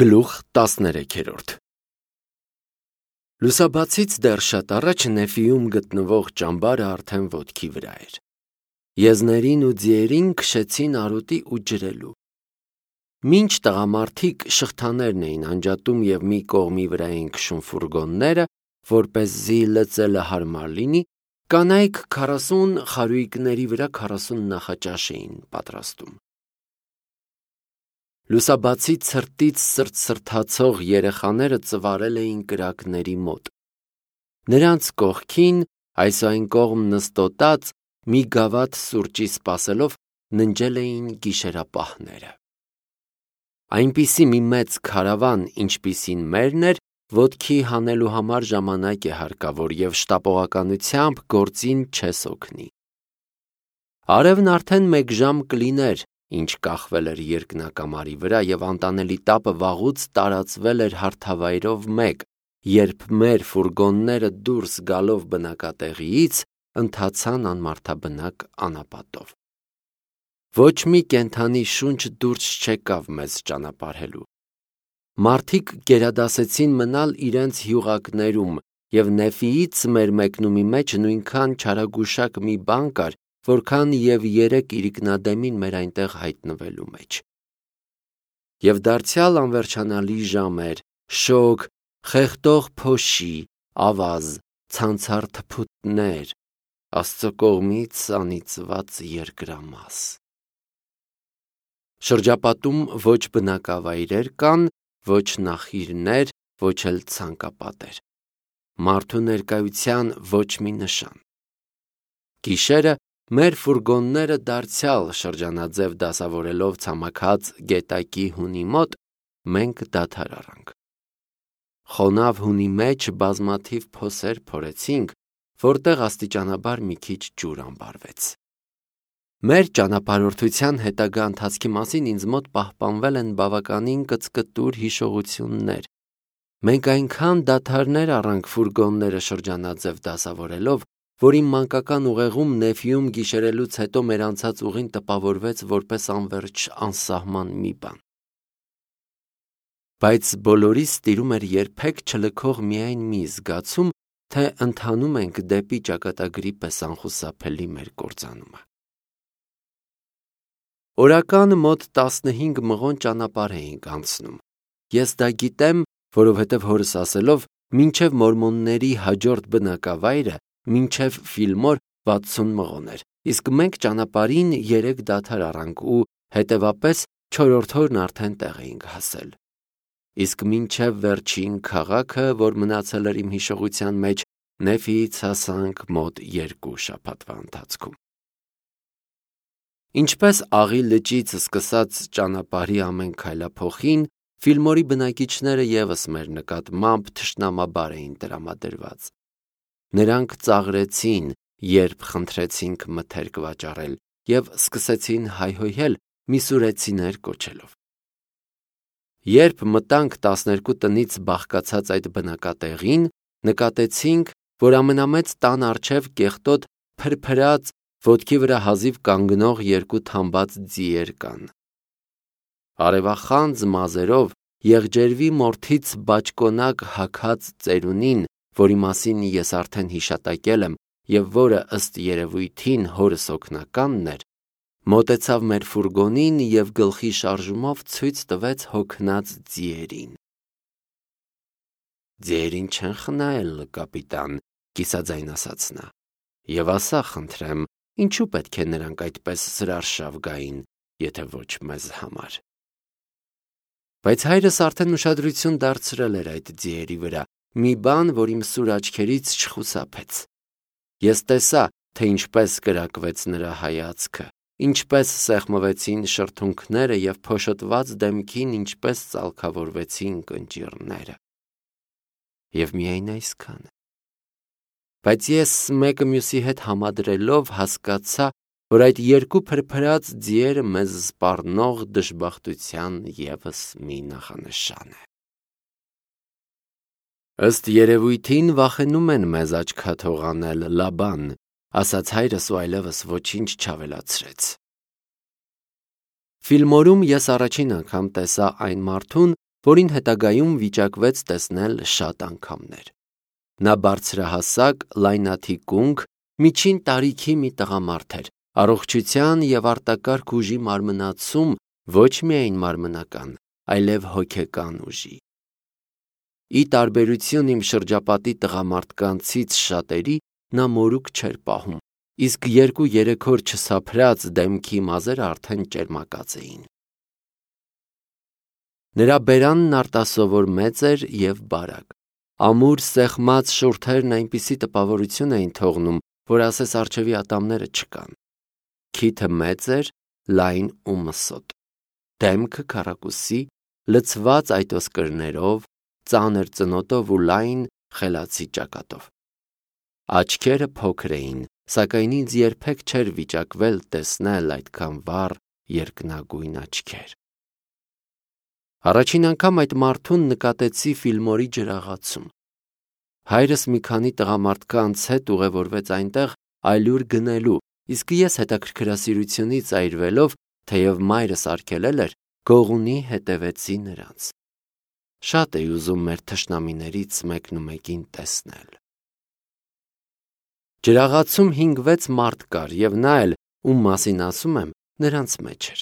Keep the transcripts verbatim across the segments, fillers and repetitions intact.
Գլուխ տասներեքերորդ Լուսաբացից դեռ շատ առաջ Նեֆիում գտնվող ճամբարը արդեն ոտքի վրա էր։ Եզներին ու ձիերին քշեցին արոտի ու ջրելու։ Մինչ տղամարդիկ շղթաներն էին անջատում և մի կողմի վրա էին քշում ֆուրգոնները, որպեսզի լծելը հարմար լինի, կանայք քառասուն խարույկների վրա քառասուն նախաճաշ էին պատրաստում։ Լուսաբացի ցրտից սրտսրտացող երեխաները ծվարել էին կրակների մոտ։ Նրանց կողքին, այս ու այն կողմ նստոտած, մի գավաթ սուրճի սպասելով, ննջել էին գիշերապահները։ Այնպիսի մի մեծ քարավան, ինչպիսին մերն էր, ոտքի հանելու համար ժամանակ է հարկավոր և շտապողականությամբ գործին չես օգնի։ Արևն արդեն մեկ ժամ կլիներ, ինչ կախվել էր երկնակամարի վրա և անտանելի տապը վաղուց տարածվել էր հարթավայրով մեկ, երբ մեր ֆուրգոնները դուրս գալով բնակատեղիից, ընթացան անմարդաբնակ անապատով։ Ոչ մի կենդանի շունչ դուրս չեկավ մեզ ճանապարհելու։ Մարդիկ գերադասեցին մնալ իրենց հյուղակներում, և Նեֆիից մեր մեկնումի մեջ նույնքան չարագուշակ մի բան կար, որքան և երեք իրիկնադեմին մեր այնտեղ հայտնվելու մեջ։ Եվ դարձյալ անվերջանալի ժամ էր, շոգ, խեղդող փոշի, ավազ, ցանցառ թփուտներ, Աստծո կողմից անիծված երկրամաս։ Շրջապատում ոչ բնակավայրեր կան, ոչ նախիրներ, ոչ էլ ցանկապատեր։ Մարդու ներկայության ոչ մի նշան։ Գիշերը մեր ֆուրգոնները դարձյալ շրջանաձև դասավորելով ցամաքած գետակի հունի մոտ, մենք դադար առանք։ Խոնավ հունի մեջ բազմաթիվ փոսեր փորեցինք, որտեղ աստիճանաբար մի քիչ ջուր անբարվեց։ Մեր ճանապարհորդության հետագա ընթացքի մասին ինձ մոտ պահպանվել են բավականին կծկտուր հիշողություններ։ Մենք այնքան դադարներ առանք ֆուրգոնները շրջանաձև դասավորելով, որ իմ մանկական ուղեղում Նեֆիում գիշերելուց հետո մեր անցած ուղին տպավորվեց որպես անվերջ անսահման մի բան։ Բայց բոլորիս տիրում էր երբեք չլքող միայն մի զգացում, թե ընթանում ենք դեպի ճակատագրի պես անխուսափելի մեր կործանումը։ Օրական մոտ տասնհինգ մղոն ճանապարհ էինք անցնում։ Ես դա գիտեմ, որովհետև հորս ասելով, մինչև մորմոնների հաջորդ բնակավայրը, մինչև Ֆիլմոր վաթսուն մղոն էր, իսկ մենք ճանապարհին երեք դադար առանք ու, հետևապես, չորրորդ օրն արդեն տեղ էինք հասել։ Իսկ մինչև վերջին քաղաքը, որ մնացել էր իմ հիշողության մեջ, Նեֆիից հասանք մոտ երկու շաբաթվա ընթացքում։ Ինչպես Աղի լճից սկսած ճանապարհի ամեն քայլափոխին, Ֆիլմորի բնակիչները ևս մեր նկատմամբ թշնամաբար էին տրամադրված։ Նրանք ծաղրեցին, երբ խնդրեցինք մթերք վաճառել, և սկսեցին հայհոյել միսուրեցիներ կոչելով։ Երբ մտանք տասներկու տնից բաղկացած այդ բնակատեղին, նկատեցինք, որ ամենամեծ տան առջև կեղտոտ փրփրած, ոտքի վրա հազիվ կանգնող երկու թամբած ձիեր կան։ Արևախանձ մազերով, եղջերվի մորթից բաճկոնակ հագած ծերունին, որի մասին ես արդեն հիշատակել եմ և որը ըստ երևույթին հորս օգնականն էր, մոտեցավ մեր ֆուրգոնին և գլխի շարժումով ցույց տվեց հոգնած ձիերին։ «Ձիերին չեն խնայել, կապիտան», կիսաձայն ասաց նա, «և ասա, խնդրեմ, ինչու պետք է նրանք այդպես զրարշավ գային, եթե ոչ մեզ համար»։ Բայց հայրս արդեն ուշադրություն դարձրել էր այդ ձիերի վրա, մի բան, որ իմ սուր աչքերից չխուսափեց։ Ես տեսա, թե ինչպես կրակվեց նրա հայացքը, ինչպես սեղմվեցին շրթունքները և փոշոտված դեմքին ինչպես ծալքավորվեցին կնճիռները։ Եվ միայն այսքանը։ Բայց ես մեկը մյուսի հետ համադրելով հասկացա, որ այդ երկու փրփրած ձիերը մեզ սպառնող դժբախտության ևս մի նախանշան է։ Ըստ երևույթին վախենում են մեզ աչքաթող անել, Լաբան, ասաց հայրս ու այլևս ոչինչ չավելացրեց։ Ֆիլմորում ես առաջին անգամ տեսա այն մարդուն, որին հետագայում վիճակվեց տեսնել շատ անգամներ։ Նա բարձրահասակ, լայնաթիկունք, միջին տարիքի մի տղամարդ էր, առողջության և արտակարգ ուժի մարմնացում ոչ միայն մարմնական, այլև հոգեկան ուժի։ Ի տարբերություն իմ շրջապատի տղամարդկանցից շատերի, նա մորուք չէր պահում, իսկ երկու-երեք օր չսափրած դեմքի մազերը արդեն ճերմակած էին։ Նրա բերանն արտասովոր մեծ էր և բարակ։ Ամուր սեղմած շուրթերն այնպիսի տպավորություն էին թողնում, որ ասես առջևի ատամները չկան։ Քիթը մեծ էր, լայն ու մսոտ, դեմքը քառակուսի, լցված այտոսկրներով, ծանր ծնոտով ու լայն խելացի ճակատով։ Աչքերը փոքր էին, սակայն ինձ երբեք չէր վիճակվել տեսնել այդքան վառ երկնագույն աչքեր։ Առաջին անգամ այդ մարդուն նկատեցի Ֆիլմորի ջրաղացում։ Հայրս մի քանի տղամարդկանց հետ ուղևորվեց այնտեղ այլուր գնելու, իսկ ես հետաքրքրասիրությունից այրվելով, թեև մայրս արգելել էր, գողունի հետևեցի նրանց։ Շատ էի ուզում մեր թշնամիներից մեկնումեկին տեսնել։ Ջրաղացում հինգ-վեց մարդ կար, և նա էլ, ում մասին ասում եմ, նրանց մեջ էր։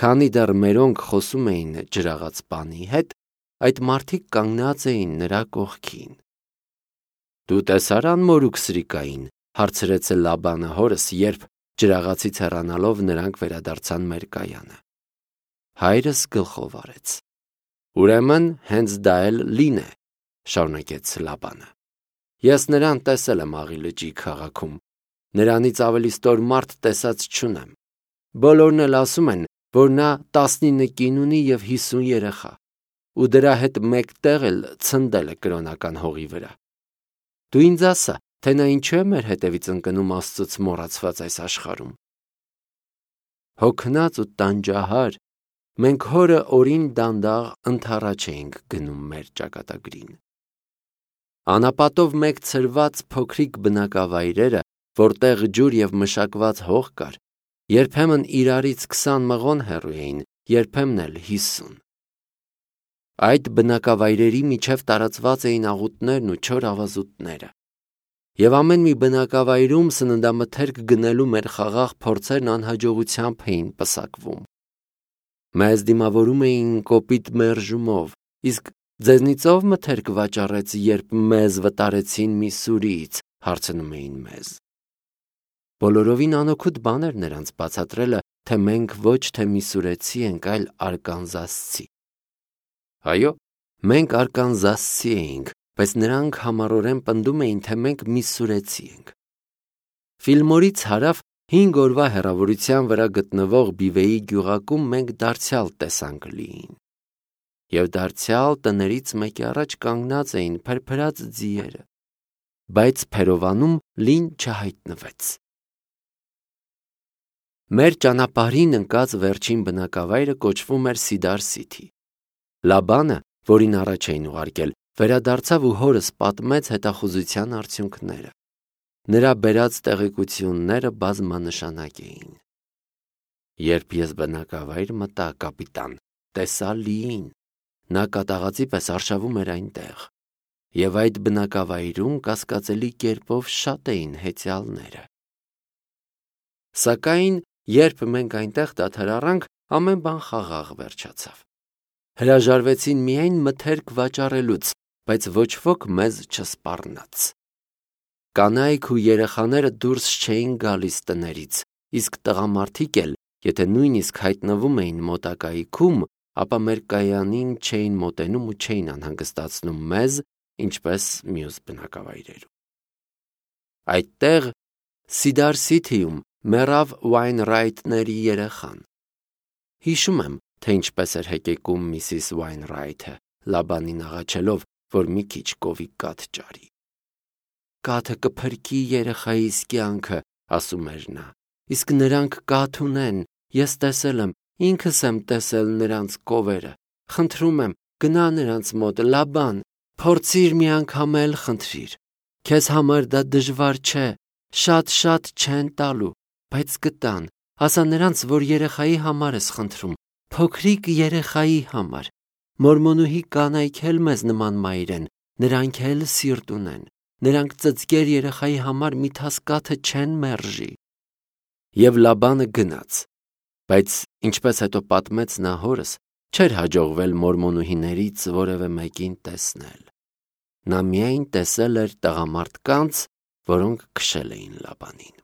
Քանի դեռ մերոնք խոսում էին ջրաղացպանի հետ, այդ մարդիկ կանգնած էին նրա կողքին։ Դու տեսա՞ր անմորուք Սրիկային, հարցրեց Լաբանը հորս, երբ ջրաղացից հեռանալով նրանք վերադարձան մեր կայանը։ Հայրս գլխով արեց։ Ուրեմն հենց դա էլ Լին է, շարունակեց Լաբանը։ Ես նրան տեսել եմ Աղի լճի քաղաքում, նրանից ավելի ստոր մարդ տեսած չունեմ։ Բոլորն էլ ասում են, որ նա տասնինը կին ունի և հիսուն երեխա, ու դրա հետ մեկտեղ էլ ցնդել է կրոնական հողի վրա։ Դու ինձ ասա, թե նա ինչու է մեր հետևից ընկնում Աստծուց մոռացված այս աշխարհում։ Հոգնած ու տանջահար մենք հորը օրին դանդաղ ընդառաջ էինք գնում մեր ճակատագրին։ Անապատով մեկ ցրված փոքրիկ բնակավայրերը, որտեղ ջուր և մշակված հող կար, երբեմն իրարից քսան մղոն հեռու էին, երբեմն էլ հիսուն։ Այդ բնակավայրերի միջև տարածված էին աղուտներն ու չոր ավազուտները։ Եվ ամեն մի բնակավայրում սննդամթերք գնելու մեր խաղաղ փորձերն անհաջողությամբ էին պսակվում։ Մեզ դիմավորում էին կոպիտ մերժումով, իսկ ձեզնից ով մթերք վաճառեց, երբ մեզ վտարեցին Միսսուրիից, հարցնում էին մեզ։ Բոլորովին անօգուտ բան էր նրանց բացատրելը, թե մենք ոչ թե միսուրեցի ենք, այլ արկանզասցի։ Այո, մենք արկանզասցի էինք, բայց նրանք համառորեն պնդում էին, թե մենք միսուրեցի ենք։ Ֆիլմորից հարավ հինգ օրվա հեռավորության վրա գտնվող Բիվեի գյուղակում մենք դարձյալ տեսանք Լիին։ Եվ դարձյալ տներից մեկի առաջ կանգնած էին փրփրած ձիերը, բայց Փերովանում Լին չհայտնվեց։ Մեր ճանապարհին ընկած վերջին բնակավայրը կոչվում էր Սիդար Սիթի։ Լաբանը, որին առաջ էին ուղարկել, վերադարձավ ու հորս պատմեց հետախուզության արդյունքները։ Նրա բերած տեղեկությունները բազմանշանակ էին։ Երբ ես բնակավայր մտա, կապիտան, տեսա Լիին, նա կատաղածի պես արշավում էր այնտեղ, և այդ բնակավայրում կասկածելի կերպով շատ էին հեծյալները։ Սակայն, երբ մենք այնտեղ դադար առանք, ամեն բան խաղաղ վերջացավ։ Հրաժարվեցին միայն մթերք վաճառելուց, բայց ոչ ոք մեզ չսպառնաց։ Կանայք ու երեխաները դուրս չէին գալիս տներից, իսկ տղամարդիկ էլ, եթե նույնիսկ հայտնվում էին մոտակայքում, ապա մեր կայանին չէին մոտենում ու չէին անհանգստացնում մեզ, ինչպես մյուս բնակավայրերում։ Այդտեղ Սիդար Սիթիում մեռավ Ուայնրայթների երեխան։ Հիշում եմ, թե ինչպես էր հեկեկում միսիս Ուայնրայթը, Լաբանին աղաչելով, որ մի քիչ կովիկ կաթ ճարի։ Կաթը կփրկի երեխայիս կյանքը, ասում էր նա, իսկ նրանք կաթ ունեն, ես տեսել եմ, ինքս եմ տեսել նրանց կովերը, խնդրում եմ, գնա նրանց մոտ, Լաբան, փորձիր մի անգամ էլ խնդրիր, քեզ համար դա դժվար չէ, շատ-շատ չեն տալու, բայց կտան, ասա նրանց, որ երեխայի համար ես խնդրում, փոքրիկ երեխայի համար, Մորմոնուհի կանայք էլ մեզ նման մայր են, նրանք էլ սիրտ ունեն, նրանք ծծկեր երեխայի համար մի թասկաթը չեն մերժի։ Եվ Լաբանը գնաց, բայց ինչպես հետո պատմեց նա հորս, չէր հաջողվել մորմոնուհիներից որևէ մեկին տեսնել։ Նա միայն տեսել էր տղամարդկանց, որոնք քշել էին Լաբանին։